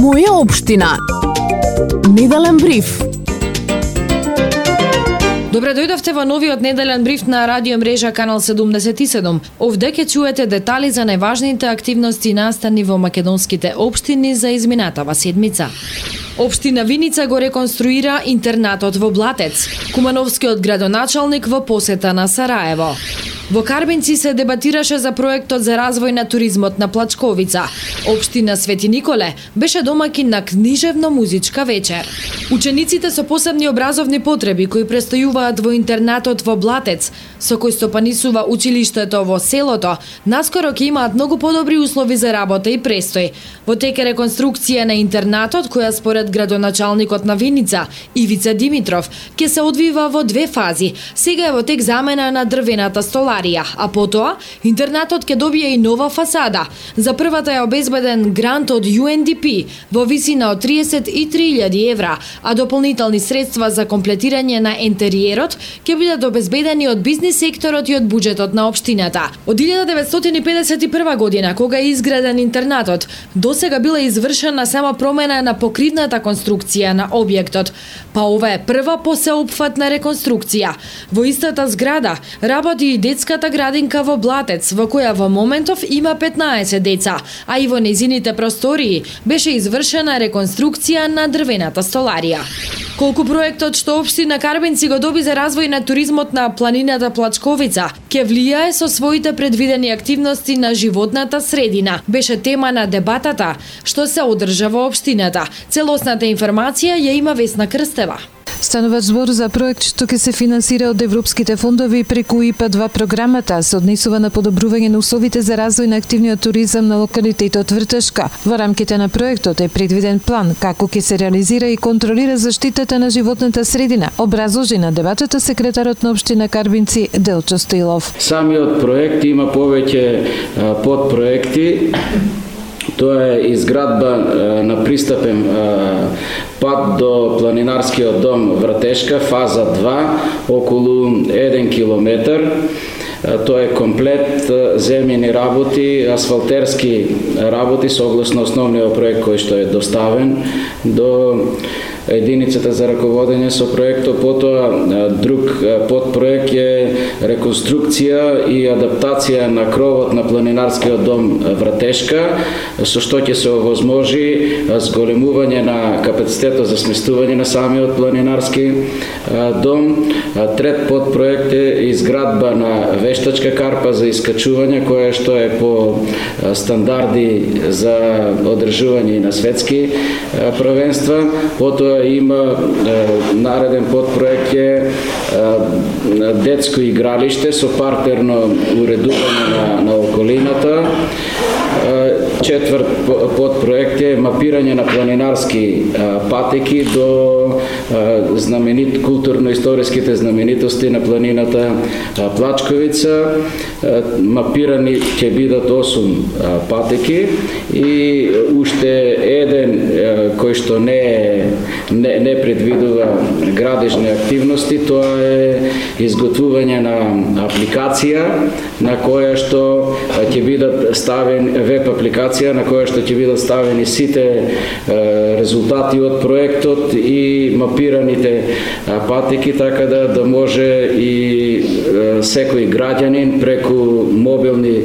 Моја општина. Неделен бриф. Добре дојдовте во новиот неделен бриф на радио мрежа Канал 77. Овде ќе чуете детали за најважните активности настани во македонските општини за изминатава седмица. Општина Виница го реконструира интернатот во Блатец. Кумановскиот градоначалник во посета на Сараево. Во Карбинци се дебатираше за проектот за развој на туризмот на Плачковица. Општина Свети Николе беше домаќин на книжевно-музичка вечер. Учениците со посебни образовни потреби кои престојуваат во интернатот во Блатец, со кој стопанисува училиштето во селото, наскоро ќе имаат многу подобри услови за работа и престој. Во тек е реконструкција на интернатот, која според градоначалникот на Виница, Ивица Димитров, ќе се одвива во две фази. Сега е во тек замена на дрвената столарија, а потоа интернатот ќе добие и нова фасада. За првата е обезбеден грант од UNDP во висина од 33.000 евра, а дополнителни средства за комплетирање на ентериерот ќе бидат обезбедени од бизнис секторот и од буџетот на општината. Од 1951 година, кога е изграден интернатот, досега била извршена само промена на покривната конструкција на објектот, па ова е прва посеопфатна реконструкција. Во истата зграда работи и детската градинка во Блатец, во која во моментов има 15 деца, а и во нејзините простории беше извршена реконструкција на дрвената столарија. Колку проектот што општина Карбинци го доби за развој на туризмот на планината Плачковица ќе влијае со своите предвидени активности на животната средина, беше тема на дебатата што се одржа во општината. Целосната информација ја има Весна Крстева. Станува збор за проект што ќе се финансира од европските фондови преку ИПА-2 програмата, се однесува на подобрување на условите за развој на активниот туризам на локалитетот Вртешка. Во рамките на проектот е предвиден план како ќе се реализира и контролира заштитата на животната средина, образложи на дебатата секретарот на општина Карбинци Делчо Стоилов. Самиот проект има повеќе подпроекти. Тоа е изградба на пристапен пат до планинарскиот дом Вратешка, фаза 2, околу 1 километар. Тоа е комплет земјени работи, асфалтерски работи согласно основниот проект кој што е доставен до единицата за раководење со проектот. Потоа друг подпроект е реконструкција и адаптација на кровот на планинарскиот дом Вратешка, со што ќе се овозможи зголемување на капацитетот за сместување на самиот планинарски дом. Трет подпроект е изградба на вештачка карпа за искачување, која што е по стандарди за одржување на светски првенства. Потоа има нареден подпроект е детско игралиште со партерно уредување на околината. Четврт подпроект е мапирање на планинарски патеки до културно-историските знаменитости на планината Плачковица. Мапирани ќе бидат 8 патеки и уште еден кој што не предвидува градежни активности, тоа е изготвување на апликација на која што ќе бидат ставени веб апликација на која што ќе бидат ставени сите резултати од проектот и мапираните патеки, така да може и секој граѓанин преку мобилни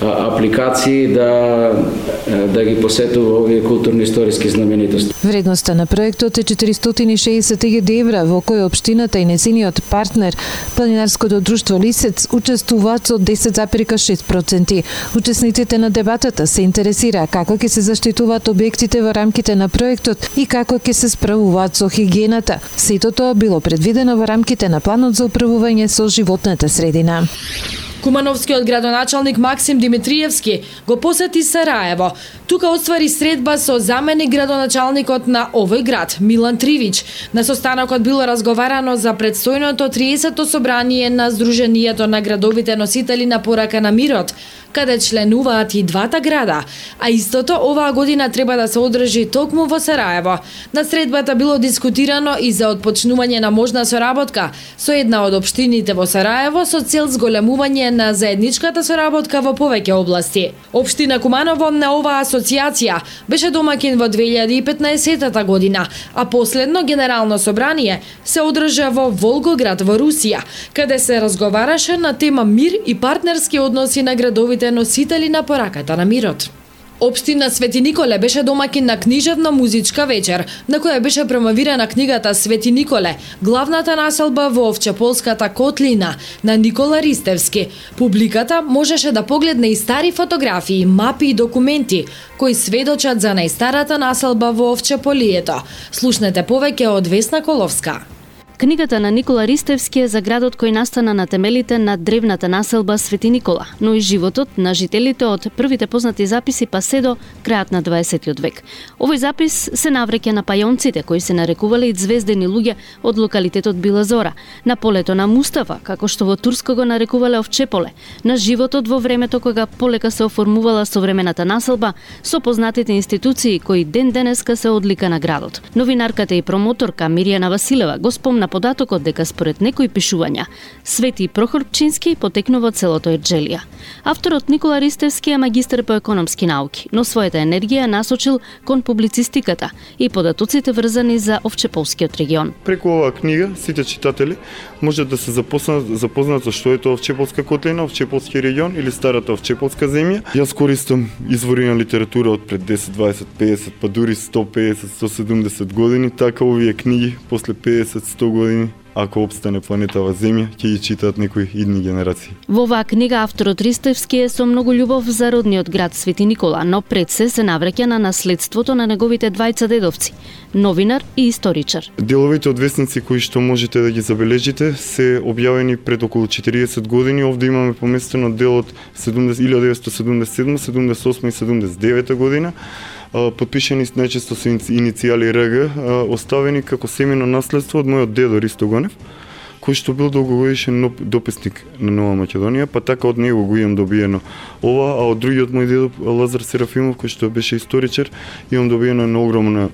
апликации да ги посетува овие културно-историски знаменитости. Вредноста на проектот е 460.000 евра, во кој општината и незиниот партнер, планинарското друштво Лисец, учествуваат со 10,6%. Учесниците на дебатата се интересира како ќе се заштитуваат објектите во рамките на проектот и како ќе се справуваат со хигиената. Сето тоа било предвидено во рамките на планот за управување со животната средина. Кумановскиот градоначалник Максим Димитриевски го посети Сараево. Тука оствари средба со заменик градоначалникот на овој град, Милан Тривич. На состанокот било разговарано за предстојното 30-то собрание на Сдруженијето на градовите носители на порака на мирот, каде членуваат и двата града, а истото оваа година треба да се одржи токму во Сараево. На средбата било дискутирано и за отпочнување на можна соработка со една од општините во Сараево со цел зголемување на заедничката соработка во повеќе области. Општина Куманово на оваа асоциација беше домакин во 2015 година, а последно генерално собрание се одржа во Волгоград во Русија, каде се разговараше на тема мир и партнерски односи на градовите носители на пораката на мирот. Општина Свети Николе беше домакин на книжевно-музичка вечер, на која беше промовирана книгата Свети Николе, главната населба во Овчеполската котлина на Никола Ристевски. Публиката можеше да погледне и стари фотографии, мапи и документи кои сведочат за најстарата населба во Овчеполието. Слушнете повеќе од Весна Коловска. Книгата на Никола Ристевски е за градот кој настана на темелите на древната населба Свети Никола, но и животот на жителите од првите познати записи па се до крајот на 20 век. Овој запис се навреќа на пајонците кои се нарекувале и звездени луѓе од локалитетот Била Зора, на полето на Мустафа, како што во турско го нарекувале Овчеполе, на животот во времето кога полека се оформувала современата населба со познатите институции кои ден денеска се одлика на градот. Новинарката и промоторка Миријана Василева го спомна податокот дека според некои пишувања Свети Прохор Пчински потекнува од селото Ерџелија. Авторот Никола Ристевски е магистар по економски науки, но својата енергија насочил кон публицистиката и податоците врзани за Овчеполскиот регион. Преку оваа книга сите читатели можат да се запознаат со што е тоа Овчеполска котлина, Овчеполски регион или старата Овчеполска земја. Јас користам извори на литература од пред 10, 20, 50, па дури 150, 170 години, така овие книги после 50, 100 години, ако обстане планетава Земја, ќе ги читаат некои идни генерации. Во оваа книга авторот Ристевски е со многу љубов за родниот град Свети Никола, но пред се навраќа на наследството на неговите двајца дедовци, новинар и историчар. Деловите од весници кои што можете да ги забележите се објавени пред околу 40 години. Овде имаме поместено дел од 1977, 78 и 79 година. Подпишани најчесто со иницијали РГ, оставени како семено наследство од мојот дедо Ристо Гонев, кој што бил долгогодишен дописник на Нова Македонија, па така од него го имам добиено ова, а од другиот мој дедо Лазар Серафимов, кој што беше историчар, имам добиено една огромна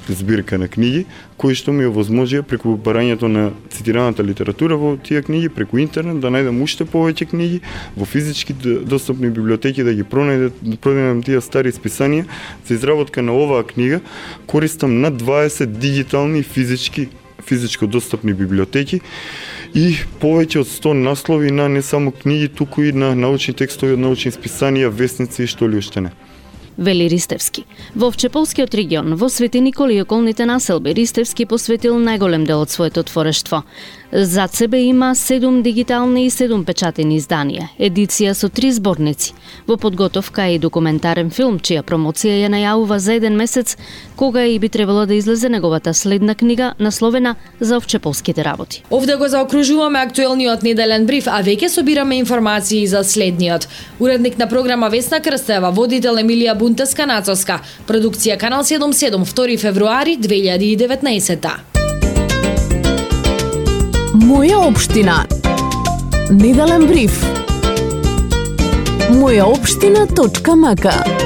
збирка на книги, кои што ми овозможија преку барањето на цитираната литература во тие книги, преку интернет, да најдам уште повеќе книги во физички достапни библиотеки, да ги пронајдам тие стари списанија. За изработка на оваа книга користам над 20 дигитални физичко достапни библиотеки и повеќе од 100 наслови на не само книги, туку и на научни текстови од научни списанија, весници и што ли уште не. Вели Ристевски. Во Овчеполскиот регион, во Свети Никола и околните населби, Ристевски посветил најголем дел од своето творештво. Зад себе има 7 дигитални и 7 печатени изданија, едиција со 3 зборници. Во подготовка е и документарен филм, чија промоција ја најавува за 1 месец, кога и би требало да излезе неговата следна книга, насловена За овчеполските работи. Овде го заокружуваме актуелниот неделен бриф, а веќе собираме информации за следниот. Уредник на програма Весна Крстева, водител Емилија Бунтеска-Нацовска, продукција Канал 77, 2 февруари 2019. Моја општина. Неделен бриф. Мојаопштина.мк